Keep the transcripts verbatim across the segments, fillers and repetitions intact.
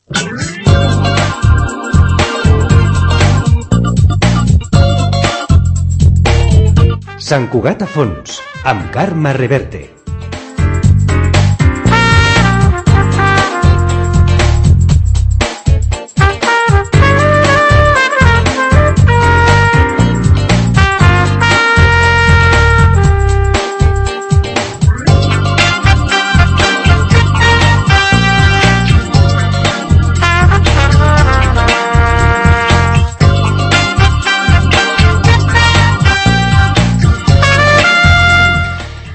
Sant Cugat a fons, amb Carme Reverte.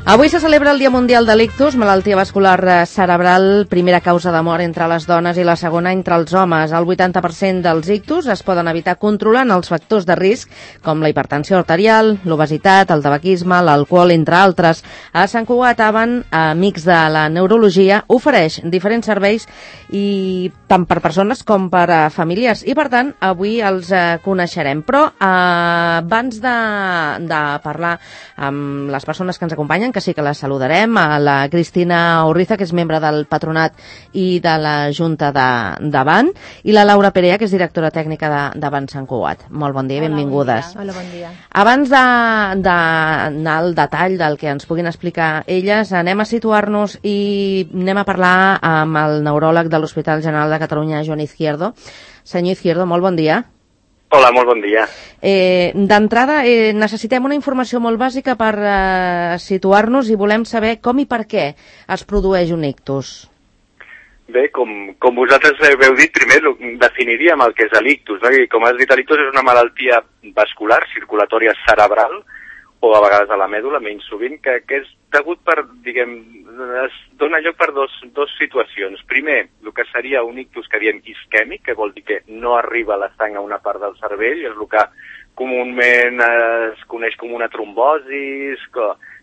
Avui se celebra el Dia Mundial de l'Ictus, malaltia vascular cerebral, primera causa de mort entre les dones i la segona entre els homes. El vuitanta per cent dels ictus es poden evitar controlant els factors de risc, com la hipertensió arterial, l'obesitat, el tabaquisme, l'alcohol, entre altres. A Sant Cugat, Avan, amics de la neurologia, ofereix diferents serveis i tant per persones com per a famílies. I, per tant, avui els eh, coneixerem. Però eh, abans de, de parlar amb les persones que ens acompanyen, que sí que la saludarem, a la Cristina Urriza, que és membre del Patronat i de la Junta d'Avan, i la Laura Perea, que és directora tècnica d'Avan Sant Cugat. Molt bon dia i benvingudes. Hola, bon dia. Abans d'anar al detall del que ens puguin explicar elles, anem a situar-nos i anem a parlar amb el neuròleg de l'Hospital General de Catalunya, Joan Izquierdo. Senyor Izquierdo, molt bon dia. Hola, molt bon dia. Eh, D'entrada, eh, necessitem una informació molt bàsica per eh, situar-nos i volem saber com i per què es produeix un ictus. Bé, com, com vosaltres heu dit, primer definiríem el que és l'ictus, no? I com has dit, l'ictus és una malaltia vascular, circulatòria cerebral, o a vegades a la mèdula, menys sovint, que, que és degut per, diguem, es dona lloc per dos, dos situacions. Primer, el que seria un ictus que diem isquèmic, que vol dir que no arriba la sang a una part del cervell, és el que comúment es coneix com una trombosi,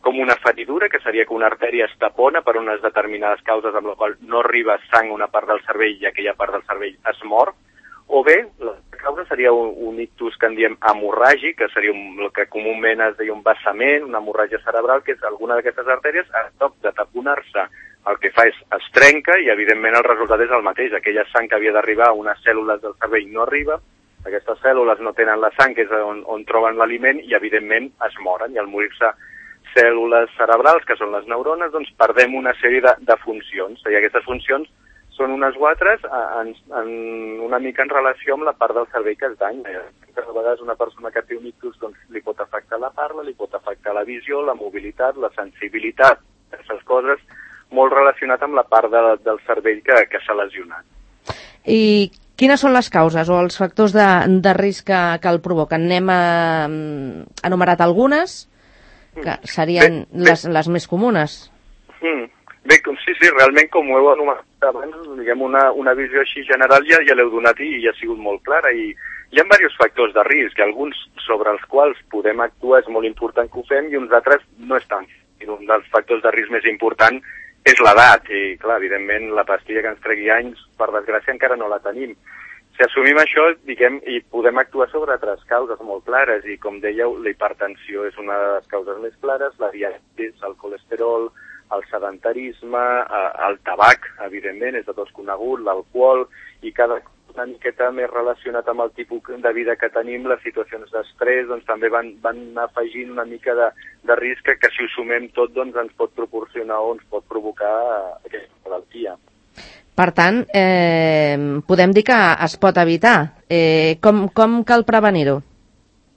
com una feridura, que seria que una artèria es tapona per unes determinades causes amb la qual no arriba sang a una part del cervell i aquella part del cervell es mor. O bé, la causa seria un, un ictus que en diem hemorràgic, que seria un, el que comúment es deia un vessament, una hemorràgia cerebral, que és alguna d'aquestes artèries, a toc de taponar-se, el que fa és es trenca i evidentment el resultat és el mateix. Aquella sang que havia d'arribar a unes cèl·lules del cervell no arriba, aquestes cèl·lules no tenen la sang, que és on, on troben l'aliment, i evidentment es moren. I al morir-se cèl·lules cerebrals, que són les neurones, doncs perdem una sèrie de, de funcions. I aquestes funcions són unes o altres en, en una mica en relació amb la part del cervell que es danya. A vegades una persona que té un ictus doncs, li pot afectar la parla, li pot afectar la visió, la mobilitat, la sensibilitat, aquestes coses molt relacionat amb la part de, del cervell que, que s'ha lesionat. I quines són les causes o els factors de, de risc que, que el provoquen? N'hem eh, enumerat algunes, que serien bé, bé. Les, les més comunes. Mm. Bé, com, sí, sí, realment, com ho heu anomenat abans, diguem, una, una visió així general ja, ja l'heu donat i ja ha sigut molt clara. I hi ha diversos factors de risc, alguns sobre els quals podem actuar, és molt important que ho fem, i uns altres no és tant. I un dels factors de risc més important és l'edat, i clar, evidentment, la pastilla que ens tregui anys, per desgràcia, encara no la tenim. Si assumim això, diguem, i podem actuar sobre altres causes molt clares, i com dèieu, la hipertensió és una de les causes més clares, la diabetis, el colesterol, el sedentarisme, el tabac, evidentment, és de tots conegut, l'alcohol, i cada una miqueta més relacionat amb el tipus de vida que tenim, les situacions d'estrès, doncs també van, van afegint una mica de, de risc que si ho sumem tot doncs ens pot proporcionar o ens pot provocar aquesta malaltia. Per tant, eh, podem dir que es pot evitar. Eh, com, com cal prevenir-ho?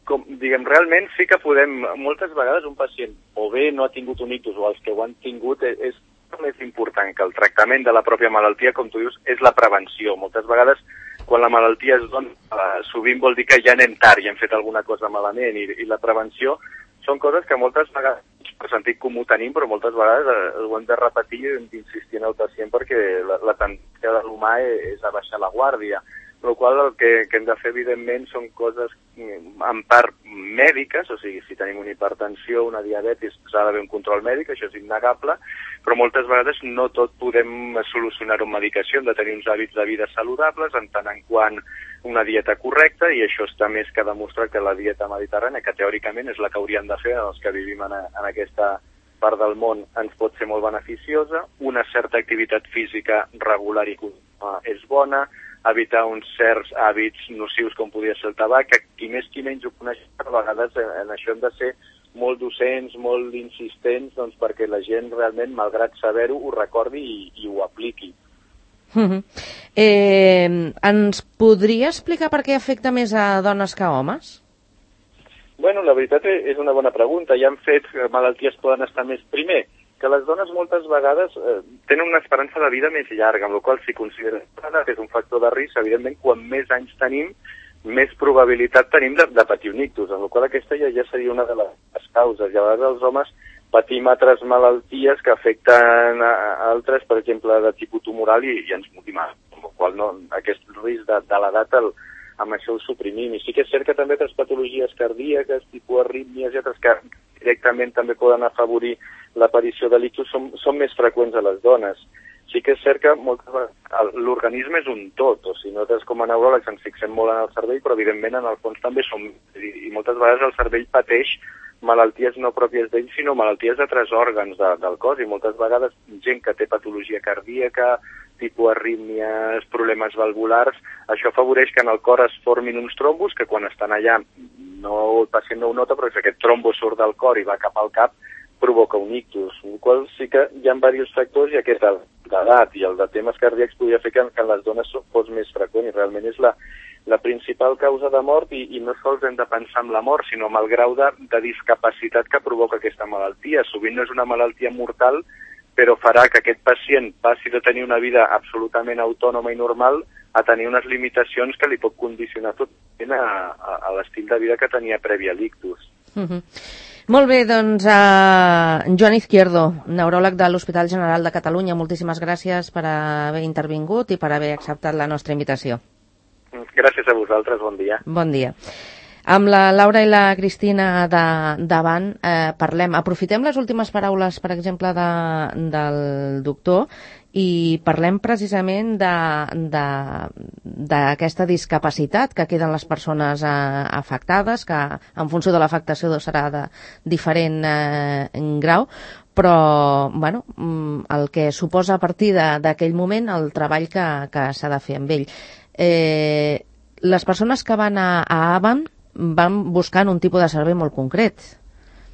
Com, diguem, realment sí que podem, moltes vegades un pacient o bé no ha tingut un ictus o els que ho han tingut és, és més important que el tractament de la pròpia malaltia, com tu dius, és la prevenció. Moltes vegades quan la malaltia es dona, eh, sovint vol dir que ja anem tard i hem fet alguna cosa malament, i, i la prevenció són coses que moltes vegades per sentit comú tenim, però moltes vegades eh, ho hem de repetir i hem d'insistir en el pacient perquè la, la tendència de l'humà és, és a baixar la guàrdia. Per la qual el que, que hem de fer, evidentment, són coses en part mèdiques, o sigui, si tenim una hipertensió, una diabetis, s'ha d'haver un control mèdic, això és innegable, però moltes vegades no tot podem solucionar-ho amb medicació, hem de tenir uns hàbits de vida saludables, en tant en quant una dieta correcta, i això està més que demostrat que la dieta mediterrània, que teòricament és la que hauríem de fer els que vivim en, a, en aquesta part del món, ens pot ser molt beneficiosa, una certa activitat física regular i continua, uh, és bona, evitar uns certs hàbits nocius com podria ser el tabac, que qui més qui menys ho coneix, a vegades en això hem de ser molt docents, molt insistents, doncs perquè la gent realment, malgrat saber-ho, ho recordi i, i ho apliqui. Uh-huh. eh, ens podria explicar per què afecta més a dones que a homes? Bueno, la veritat és una bona pregunta. Hi han fet que malalties poden estar més... Primer, que les dones moltes vegades eh, tenen una esperança de vida més llarga, amb la qual cosa si considera que és un factor de risc, evidentment, quan més anys tenim, més probabilitat tenim de, de patir un ictus, amb la qual cosa aquesta ja, ja seria una de les causes. I a vegades els homes patim altres malalties que afecten a, a altres, per exemple, de tipus tumoral i, i ens motim, amb la qual no, aquest risc de, de l'edat el, amb això ho suprimim. I sí que és cert que també altres patologies cardíaques, tipus arrítmies i altres que directament també poden afavorir l'aparició de l'ictus són, són més freqüents a les dones. Sí que és cert que moltes vegades l'organisme és un tot, o sigui, nosaltres com a neuròlegs ens fixem molt en el cervell, però evidentment en el fons també som, i, i moltes vegades el cervell pateix malalties no pròpies d'ell, sinó malalties d'altres òrgans de, del cos, i moltes vegades gent que té patologia cardíaca, tipus arrítmies, problemes valvulars, això afavoreix que en el cor es formin uns trombos que quan estan allà no, el pacient no ho nota, però si aquest trombo surt del cor i va cap al cap, provoca un ictus, el qual sí que hi ha diversos factors i aquest l'edat i el de temes cardíacs podria fer que, que en les dones fos més freqüent i realment és la, la principal causa de mort i, i no sols hem de pensar en la mort, sinó en el grau de, de discapacitat que provoca aquesta malaltia. Sovint no és una malaltia mortal, però farà que aquest pacient passi de tenir una vida absolutament autònoma i normal a tenir unes limitacions que li pot condicionar totalment a, a, a l'estil de vida que tenia previ a l'ictus. Uh-huh. Molt bé, doncs, uh, Joan Izquierdo, neuròleg de l'Hospital General de Catalunya, moltíssimes gràcies per haver intervingut i per haver acceptat la nostra invitació. Gràcies a vosaltres, bon dia. Bon dia. Amb la Laura i la Cristina de, davant eh, parlem, aprofitem les últimes paraules, per exemple, de, del doctor i parlem precisament d'aquesta discapacitat que queden les persones eh, afectades, que en funció de l'afectació serà de diferent eh, grau, però bueno, el que suposa a partir d'aquell moment el treball que, que s'ha de fer amb ell. Eh, les persones que van a, a Avan van buscant un tipus de servei molt concret.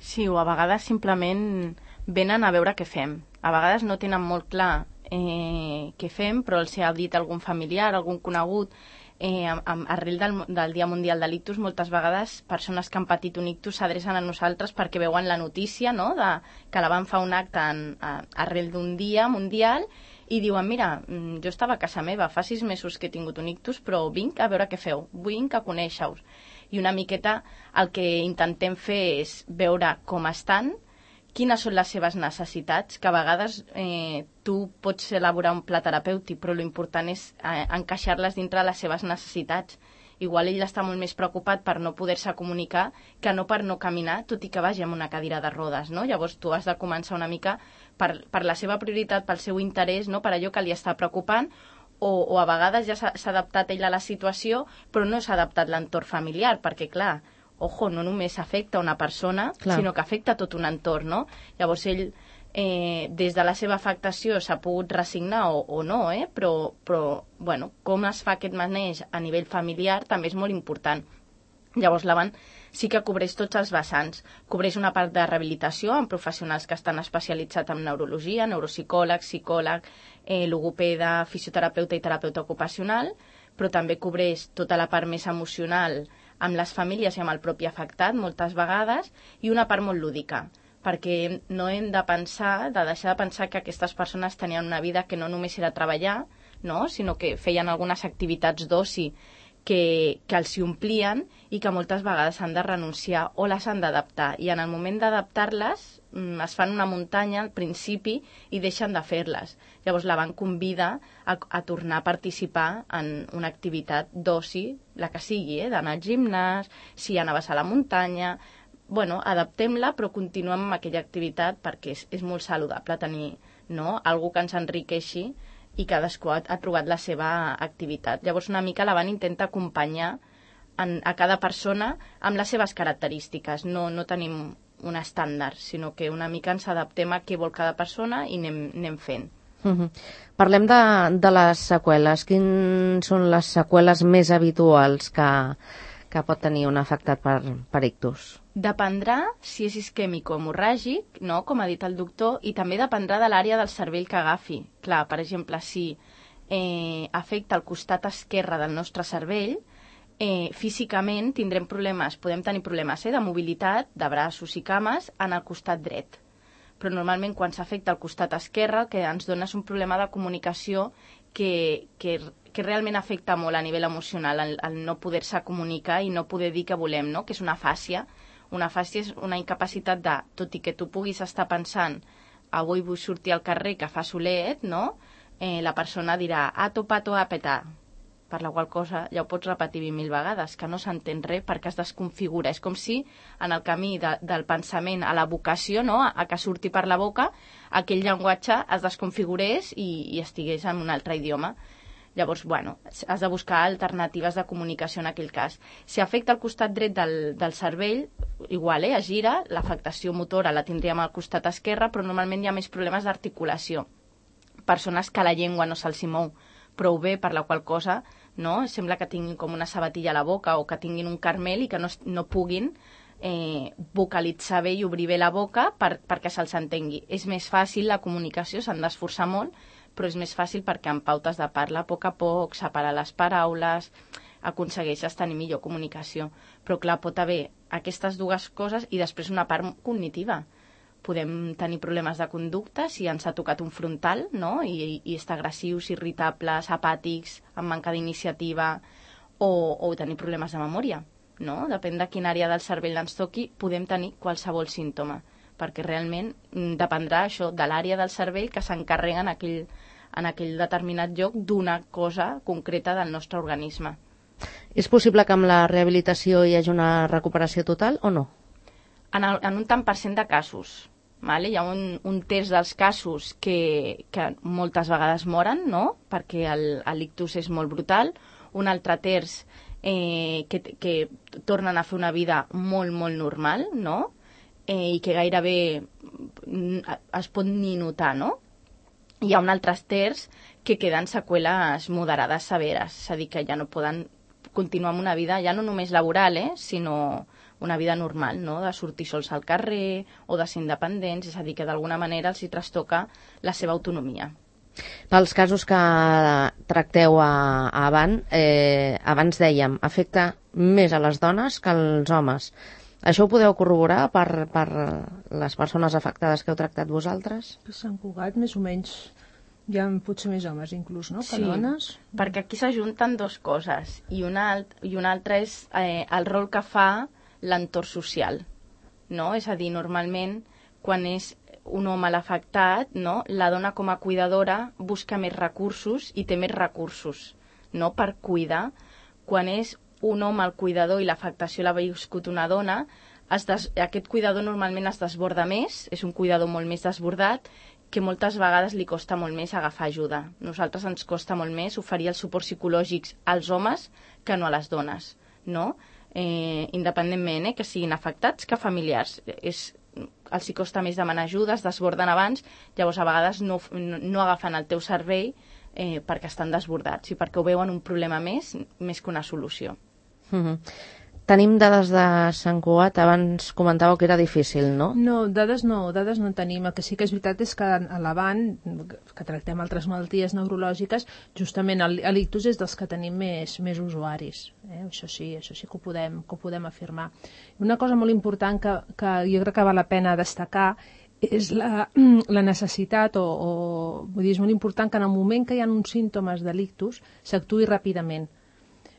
Sí, o a vegades simplement venen a veure què fem. A vegades no tenen molt clar eh, què fem, però els ha dit algun familiar, algun conegut. Eh, amb, arrel del, del Dia Mundial de l'Ictus, moltes vegades persones que han patit un ictus s'adrecen a nosaltres perquè veuen la notícia, no?, de, que la van fer un acte en, a, arrel d'un dia mundial i diuen, mira, jo estava a casa meva, fa sis mesos que he tingut un ictus, però vinc a veure què feu, vinc a conèixer-vos. I una miqueta el que intentem fer és veure com estan, quines són les seves necessitats, que a vegades eh, tu pots elaborar un pla terapèutic, però l'important és eh, encaixar-les dintre les seves necessitats. Igual ell està molt més preocupat per no poder-se comunicar que no per no caminar, tot i que vagi amb una cadira de rodes, no? Llavors tu has de començar una mica per, per la seva prioritat, pel seu interès, no?, per allò que li està preocupant, o, o a vegades ja s'ha adaptat ell a la situació, però no s'ha adaptat l'entorn familiar, perquè clar, ojo, no només afecta una persona, clar, sinó que afecta tot un entorn, no? Llavors ell, eh, des de la seva afectació s'ha pogut resignar o, o no, eh? però, però bueno, com es fa aquest maneig a nivell familiar també és molt important. Llavors l'Avan sí que cobreix tots els vessants. Cobreix una part de rehabilitació amb professionals que estan especialitzats en neurologia, neuropsicòleg, psicòleg, eh, logopeda, fisioterapeuta i terapeuta ocupacional, però també cobreix tota la part més emocional amb les famílies i amb el propi afectat moltes vegades, i una part molt lúdica, perquè no hem de pensar, de deixar de pensar que aquestes persones tenien una vida que no només era treballar, no?, sinó que feien algunes activitats d'oci que, que els hi omplien i que moltes vegades han de renunciar o les han d'adaptar. I en el moment d'adaptar-les es fan una muntanya al principi i deixen de fer-les. Llavors l'Avan convida a, a tornar a participar en una activitat d'oci, la que sigui, eh? D'anar al gimnàs, si anaves a la muntanya. Bueno, adaptem-la però continuem amb aquella activitat perquè és, és molt saludable tenir, no?, algú que ens enriqueixi i cadascú ha, ha trobat la seva activitat. Llavors una mica l'Avan intenta acompanyar en, a cada persona amb les seves característiques. No, no tenim un estàndard, sinó que una mica ens adaptem a què vol cada persona i anem, anem fent. Uh-huh. Parlem de, de les seqüeles. Quines són les seqüeles més habituals que, que pot tenir un afectat per, per ictus? Dependrà si és isquèmic o hemorràgic, no? Com ha dit el doctor, i també dependrà de l'àrea del cervell que agafi. Clar, per exemple, si eh, afecta el costat esquerre del nostre cervell, eh, físicament tindrem problemes, podem tenir problemes eh, de mobilitat, de braços i cames, en el costat dret. Però normalment quan s'afecta el costat esquerre el que ens dona és un problema de comunicació que, que, que realment afecta molt a nivell emocional, el, el no poder-se comunicar i no poder dir que volem, no? Que és una fàscia. Una fàscia és una incapacitat de, tot i que tu puguis estar pensant avui vull sortir al carrer que fa solet, no? Eh, la persona dirà a topato a petar, per la qual cosa ja ho pots repetir vint mil vegades, que no s'entén res perquè es desconfigura. És com si en el camí de, del pensament a la vocació, no? a, a que surti per la boca, aquell llenguatge es desconfigurés i, i estigués en un altre idioma. Llavors, bueno, has de buscar alternatives de comunicació en aquell cas. Si afecta el costat dret del, del cervell, igual, eh, es gira, l'afectació motora la tindríem al costat esquerre, però normalment hi ha més problemes d'articulació. Persones que la llengua no se'ls mou prou bé, per la qual cosa, no? Sembla que tinguin com una sabatilla a la boca o que tinguin un carmel i que no, no puguin eh, vocalitzar bé i obrir bé la boca per, perquè se'ls entengui. És més fàcil la comunicació, s'han d'esforçar molt, però és més fàcil perquè en pautes de parla a poc a poc, separar les paraules, aconsegueixes tenir millor comunicació. Però clar, pot haver aquestes dues coses i després una part cognitiva. Podem tenir problemes de conducta si ens ha tocat un frontal, no? I, i estar agressius, irritables, apàtics, amb manca d'iniciativa, o, o tenir problemes de memòria, no? Depèn de quina àrea del cervell ens toqui, podem tenir qualsevol símptoma, perquè realment dependrà això de l'àrea del cervell que s'encarrega en aquell, en aquell determinat lloc d'una cosa concreta del nostre organisme. És possible que amb la rehabilitació hi hagi una recuperació total o no? En, el, en un tant per cent de casos. Vale? Hi ha un, un terç dels casos que, que moltes vegades moren, no? Perquè el, l'ictus és molt brutal. Un altre terç eh, que, que tornen a fer una vida molt, molt normal, no? Eh, i que gairebé es pot ni notar, no? Hi ha un altre terç que queden seqüeles moderades severes, és a dir, que ja no poden continuar amb una vida, ja no només laboral, eh, sinó una vida normal, no? De sortir sols al carrer o de ser independents, és a dir, que d'alguna manera els hi trastoca la seva autonomia. Pels casos que tracteu a, a Avant, eh, abans dèiem, afecta més a les dones que als homes. Això ho podeu corroborar per, per les persones afectades que heu tractat vosaltres? A Sant Cugat, més o menys, hi ha potser més homes inclús, no? Que sí, dones. Perquè aquí s'ajunten dues coses, i una, alt, i una altra és eh, el rol que fa l'entorn social, no? És a dir, normalment, quan és un home l'afectat, no? La dona com a cuidadora busca més recursos i té més recursos, no? Per cuidar. Quan és un home el cuidador i l'afectació l'ha viscut una dona, es des... aquest cuidador normalment es desborda més, és un cuidador molt més desbordat, que moltes vegades li costa molt més agafar ajuda. Nosaltres ens costa molt més oferir els suports psicològics als homes que no a les dones, no? Eh, independentment eh, que siguin afectats que familiars. És, els hi costa més demanar ajuda, es desborden abans, llavors a vegades no, no, no agafen el teu servei eh, perquè estan desbordats i perquè ho veuen un problema més, més que una solució. Mm-hmm. Tenim dades de Sant Cugat, abans comentàveu que era difícil, no? No, dades no, dades no en tenim. El que sí que és veritat és que a l'Avant, que tractem altres malalties neurològiques, justament l'ictus és dels que tenim més, més usuaris. Eh? Això sí, això sí que ho podem, que ho podem afirmar. Una cosa molt important que, que jo crec que val la pena destacar és la, la necessitat, o, o vull dir, és molt important que en el moment que hi ha uns símptomes de l'ictus s'actuï ràpidament.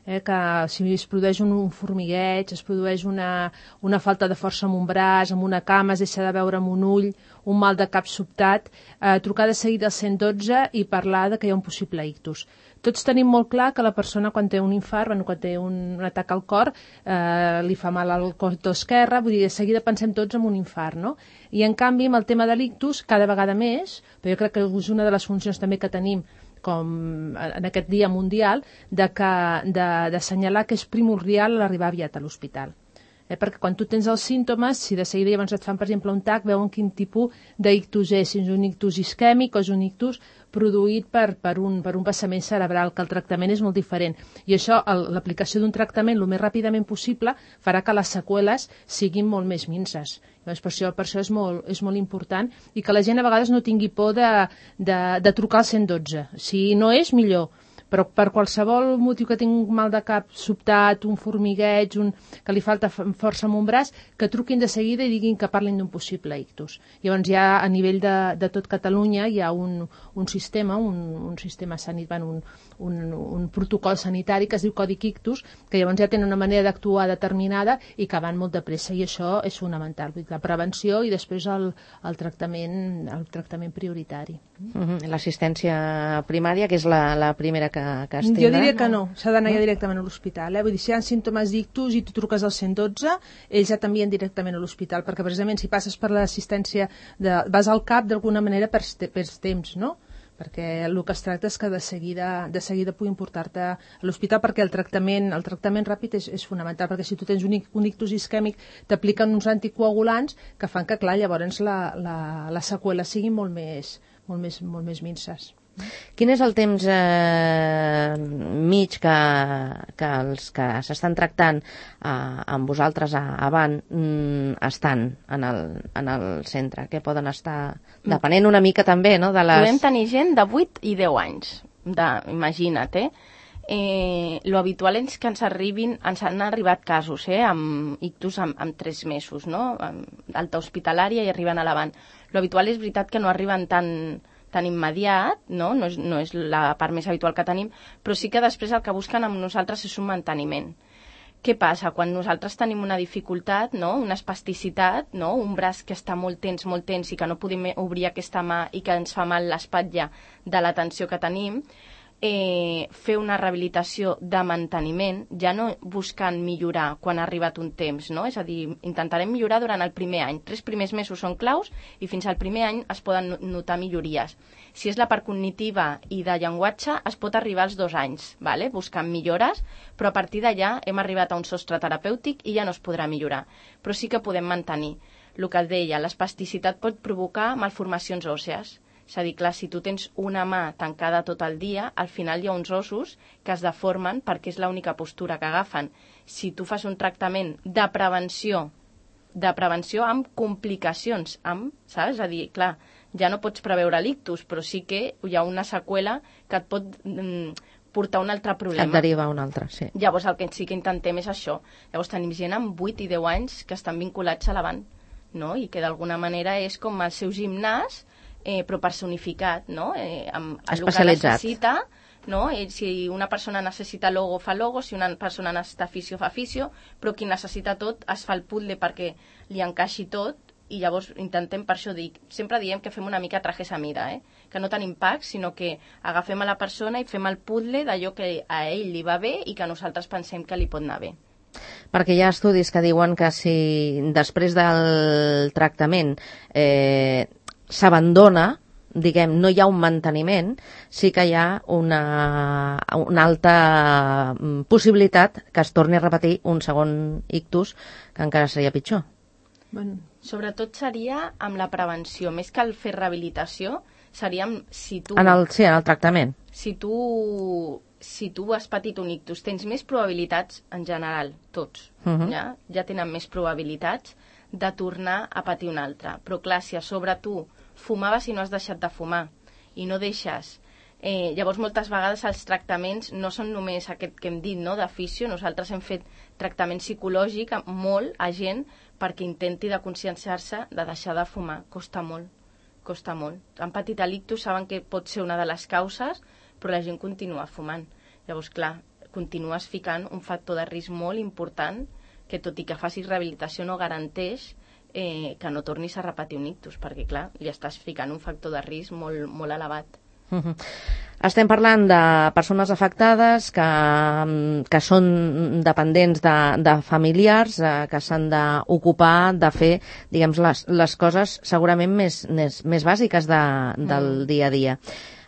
Eh, que si es produeix un, un formigueig, es produeix una, una falta de força amb un braç, amb una cama, es deixa de veure amb un ull, un mal de cap sobtat, eh, trucar de seguida al cent dotze i parlar de que hi ha un possible ictus. Tots tenim molt clar que la persona quan té un infart, bueno, quan té un, un atac al cor, eh, li fa mal al cosó esquerre, vull dir, de seguida pensem tots en un infart, no? I en canvi, amb el tema de l'ictus, cada vegada més, però jo crec que és una de les funcions també que tenim com en aquest dia mundial, de que, de, d'assenyalar que és primordial l'arribar aviat a l'hospital. Eh? Perquè quan tu tens els símptomes, si de seguida llavors et fan, per exemple, un tac, veuen quin tipus d'ictus és, si és un ictus isquèmic o és un ictus produït per, per, un, per un vessament cerebral, que el tractament és molt diferent. I això, l'aplicació d'un tractament el més ràpidament possible, farà que les seqüeles siguin molt més minses. Llavors, per això, per això és, molt, és molt important i que la gent a vegades no tingui por de, de, de trucar al cent dotze. Si no és, millor. Però per qualsevol motiu que tingui un mal de cap sobtat, un formigueig, un, que li falta força en un braç, que truquin de seguida i diguin que parlin d'un possible ictus. Llavors ja a nivell de, de tot Catalunya hi ha un, un sistema, un, un sistema sanitari, un, un, un protocol sanitari que es diu Codi Ictus, que llavors ja tenen una manera d'actuar determinada i que van molt de pressa, i això és fonamental. Vull dir, la prevenció i després el, el, tractament, el tractament prioritari. Uh-huh. L'assistència primària, que és la, la primera que, que es tindrà? Jo diria que no, s'ha d'anar ja directament a l'hospital. Eh? Vull dir, si hi ha símptomes d'ictus i tu truques al cent dotze, ells ja t'envien directament a l'hospital, perquè precisament si passes per l'assistència, de, vas al cap d'alguna manera per, per temps, no? Perquè el que es tracta és que de seguida, de seguida puguin portar-te a l'hospital, perquè el tractament, el tractament ràpid és, és fonamental, perquè si tu tens un, un ictus isquèmic t'apliquen uns anticoagulants que fan que, clar, llavors la, la, la seqüela sigui molt més, molt més, molt més minses. Quin és el temps eh, mig que, que els que s'estan tractant eh, amb vosaltres a, a Van mm, estan en el, en el centre? Que poden estar depenent una mica també, no? De les... Podem tenir gent de vuit i deu anys, de, imagina't, eh? Eh, lo habitual és que ens arribin, ens han arribat casos, eh, amb ictus amb, amb tres mesos, no? Amb alta hospitalària i arriben a la Van. Lo habitual és veritat que no arriben tan tan immediat, no? No és, no és la part més habitual que tenim, però sí que després el que busquen amb nosaltres és un manteniment. Què passa? Quan nosaltres tenim una dificultat, no? Una espasticitat, no? Un braç que està molt tens, molt tens i que no podem obrir aquesta mà i que ens fa mal l'espatlla de la tensió que tenim, eh, fer una rehabilitació de manteniment, ja no buscant millorar quan ha arribat un temps, no? És a dir, intentarem millorar durant el primer any. Tres primers mesos són claus i fins al primer any es poden notar millories. Si és la part cognitiva i de llenguatge, es pot arribar als dos anys, vale? Buscant millores, però a partir d'allà hem arribat a un sostre terapèutic i ja no es podrà millorar. Però sí que podem mantenir. El que deia, l'espasticitat pot provocar malformacions òssees. És a dir, clar, si tu tens una mà tancada tot el dia, al final hi ha uns ossos que es deformen perquè és l'única postura que agafen. Si tu fas un tractament de prevenció, de prevenció amb complicacions, amb, saps? És a dir, clar, ja no pots preveure l'ictus, però sí que hi ha una seqüela que et pot mm, portar un altre problema. Et deriva un altre, sí. Llavors el que sí que intentem és això. Llavors tenim gent amb vuit i deu anys que estan vinculats a la Van, no? I que d'alguna manera és com el seu gimnàs, Eh, però personificat, no? Eh, amb el que necessita, no? Eh, si una persona necessita logo, fa logo, si una persona necessita fisio, fa fisio, però qui necessita tot es fa el puzzle perquè li encaixi tot, i llavors intentem, per això dic, sempre diem que fem una mica trajes a mida, eh? Que no tenim packs, sinó que agafem a la persona i fem el puzzle d'allò que a ell li va bé i que nosaltres pensem que li pot anar bé. Perquè hi ha estudis que diuen que si després del tractament eh, s'abandona, diguem, no hi ha un manteniment, sí que hi ha una, una alta possibilitat que es torni a repetir un segon ictus, que encara seria pitjor. Bueno, sobretot seria amb la prevenció, més que el fer rehabilitació, seria amb, si tu... En el, sí, en el tractament. Si tu, si tu has patit un ictus, tens més probabilitats, en general, tots, uh-huh. ja, ja tenen més probabilitats de tornar a patir un altre. Però clar, si a sobre tu fumaves i no has deixat de fumar i no deixes, eh, llavors moltes vegades els tractaments no són només aquest que hem dit, no, de fisio. Nosaltres hem fet tractament psicològic molt a gent perquè intenti de conscienciar-se de deixar de fumar. Costa molt, costa molt. Han patit l'ictus, saben que pot ser una de les causes, però la gent continua fumant. Llavors, clar, continues ficant un factor de risc molt important que, tot i que facis rehabilitació, no garanteix eh, que no tornis a repetir un ictus, perquè, clar, li estàs ficant un factor de risc molt, molt elevat. Uh-huh. Estem parlant de persones afectades que, que són dependents de, de familiars, eh, que s'han d'ocupar de fer, diguem, les, les coses segurament més, més, més bàsiques de, del mm. dia a dia.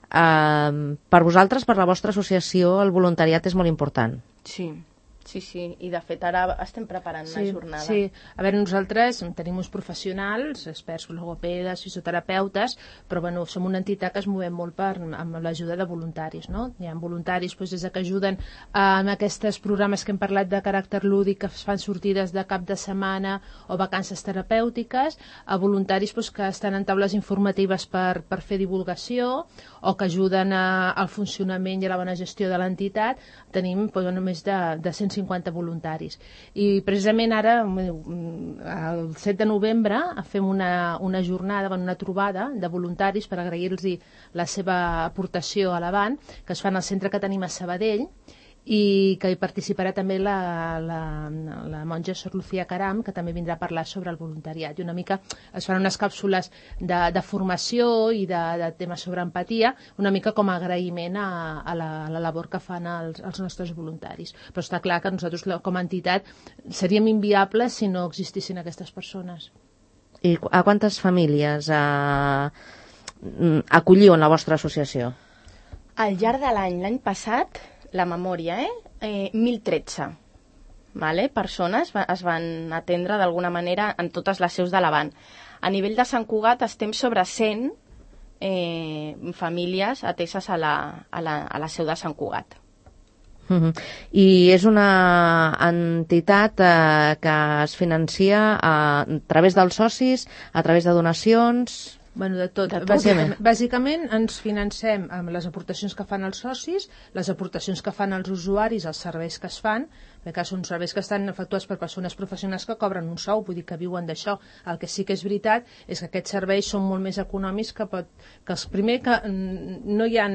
Uh, per vosaltres, per la vostra associació, el voluntariat és molt important. Sí, Sí, sí, i de fet ara estem preparant sí, una jornada. Sí, a veure, nosaltres tenim uns professionals, experts, logopedes, fisioterapeutes, però bueno, som una entitat que es movem molt per, amb l'ajuda de voluntaris, no? Hi ha voluntaris doncs, des de que ajuden en aquests programes que hem parlat de caràcter lúdic, que es fan sortides de cap de setmana o vacances terapèutiques, a voluntaris doncs, que estan en taules informatives per, per fer divulgació o que ajuden a, al funcionament i a la bona gestió de l'entitat. Tenim doncs, només de, de cent cinquanta voluntaris. I precisament ara, el set de novembre, fem una, una jornada, una trobada de voluntaris per agrair-los la seva aportació a l'Avant, que es fan al centre que tenim a Sabadell, i que hi participarà també la, la, la monja Sor Lucía Caram, que també vindrà a parlar sobre el voluntariat. I una mica es fan unes càpsules de, de formació i de, de temes sobre empatia, una mica com a agraïment a, a, la, a la labor que fan els, els nostres voluntaris. Però està clar que nosaltres com a entitat seríem inviables si no existissin aquestes persones. I a quantes famílies eh, acolliu en la vostra associació? Al llarg de l'any, l'any passat, la memòria, eh? eh mil tretze vale? Persones va, es van atendre d'alguna manera en totes les seus de l'Avant. A nivell de Sant Cugat estem sobre cent eh, famílies ateses a la, a, la, a la seu de Sant Cugat. Uh-huh. I és una entitat eh, que es financia a, a través dels socis, a través de donacions... Bueno, de tot. De tot. Bàsicament, bàsicament ens financem amb les aportacions que fan els socis, les aportacions que fan els usuaris, els serveis que es fan, perquè són serveis que estan efectuats per persones professionals que cobren un sou, vull dir que viuen d'això. El que sí que és veritat és que aquests serveis són molt més econòmics que, pot, que els primers que no hi ha,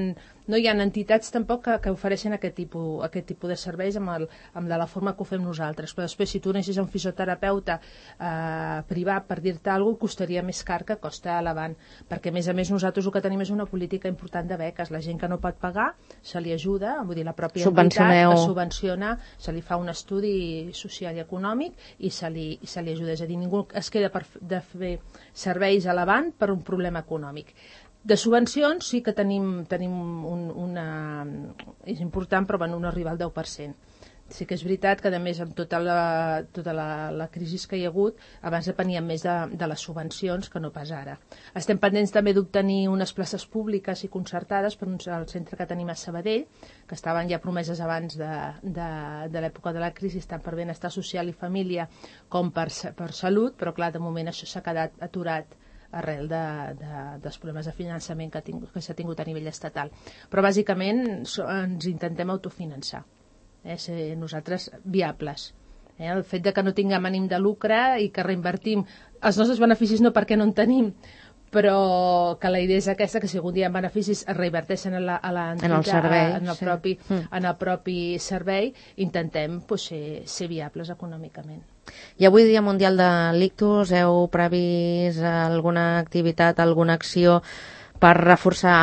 no hi ha entitats tampoc que, que ofereixen aquest tipus, aquest tipus de serveis amb, el, amb de la forma que ho fem nosaltres. Però després, si tu anessis a un fisioterapeuta eh, privat, per dir-te alguna cosa, costaria més car que costa a l'Avant, perquè a més a més nosaltres el que tenim és una política important de beques. La gent que no pot pagar se li ajuda, vull dir, la pròpia entitat que subvenciona, se li fa un estudi social i econòmic i se li, i se li ajuda. És a dir, ningú es queda per, de fer serveis a l'Avant per un problema econòmic. De subvencions sí que tenim, tenim un, una... és important, però bueno, no arriba al deu per cent. Sí que és veritat que, a més, amb tota la, tota la, la crisi que hi ha hagut, abans depeníem més de, de les subvencions que no pas ara. Estem pendents també d'obtenir unes places públiques i concertades per un, el centre que tenim a Sabadell, que estaven ja promeses abans de, de, de l'època de la crisi, tant per benestar social i família com per, per salut, però clar, de moment això s'ha quedat aturat arrel de, de, dels problemes de finançament que, tinc, que s'ha tingut a nivell estatal. Però bàsicament so, ens intentem autofinançar. Eh, ser nosaltres viables. Eh, el fet de que no tinguem ànim de lucre i que reinvertim els nostres beneficis no perquè no en tenim, però que la idea és aquesta, que si algun dia en beneficis es reinverteixen en, la, a la en el servei, en el, sí. propi, mm. en el propi servei, intentem pues, ser, ser viables econòmicament. I avui, Dia Mundial de l'Ictus, heu previst alguna activitat, alguna acció per reforçar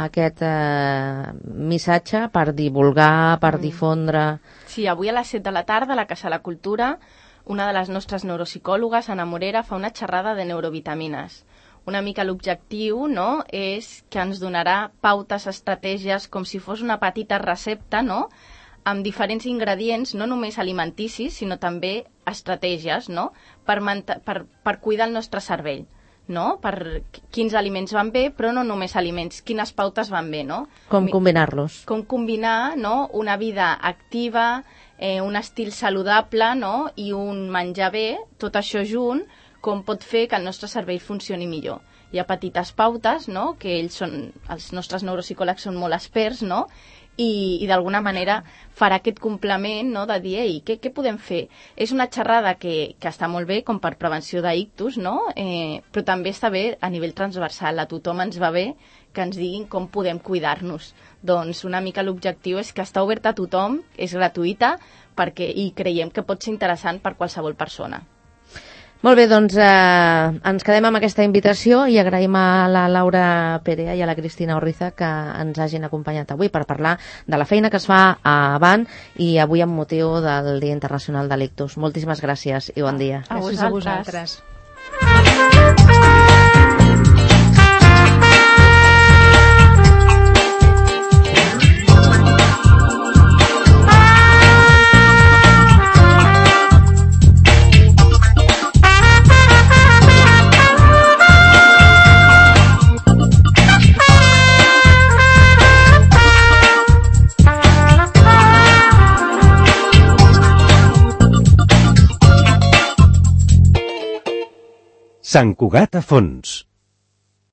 aquest eh, missatge, per divulgar, per mm. difondre... Sí, avui a les set de la tarda a la Casa de la Cultura una de les nostres neuropsicòlogues, Anna Morera, fa una xerrada de neurovitamines. Una mica l'objectiu, no?, és que ens donarà pautes, estratègies, com si fos una petita recepta, no?, amb diferents ingredients, no només alimenticis, sinó també estratègies, no?, per, per, per cuidar el nostre cervell. No? Per quins aliments van bé, però no només aliments, quines pautes van bé, no? Com combinar-los. Com combinar, no?, una vida activa, eh, un estil saludable, no?, i un menjar bé, tot això junt, com pot fer que el nostre cervell funcioni millor. Hi ha petites pautes, no?, que ells són, els nostres neuropsicòlegs són molt experts, no?, i, i d'alguna manera farà aquest complement, no?, de dir, ei, què, què podem fer? És una xerrada que, que està molt bé com per prevenció d'ictus, no?, eh, però també està bé a nivell transversal. A tothom ens va bé que ens diguin com podem cuidar-nos. Doncs una mica l'objectiu és que està oberta a tothom, és gratuïta, perquè, i creiem que pot ser interessant per qualsevol persona. Molt bé, doncs eh, ens quedem amb aquesta invitació i agraïm a la Laura Perea i a la Cristina Orriza que ens hagin acompanyat avui per parlar de la feina que es fa a Avant i avui amb motiu del Dia Internacional de l'Ictus. Moltíssimes gràcies i bon dia. A vosaltres. Gràcies a vosaltres. Sant Cugat a Fons.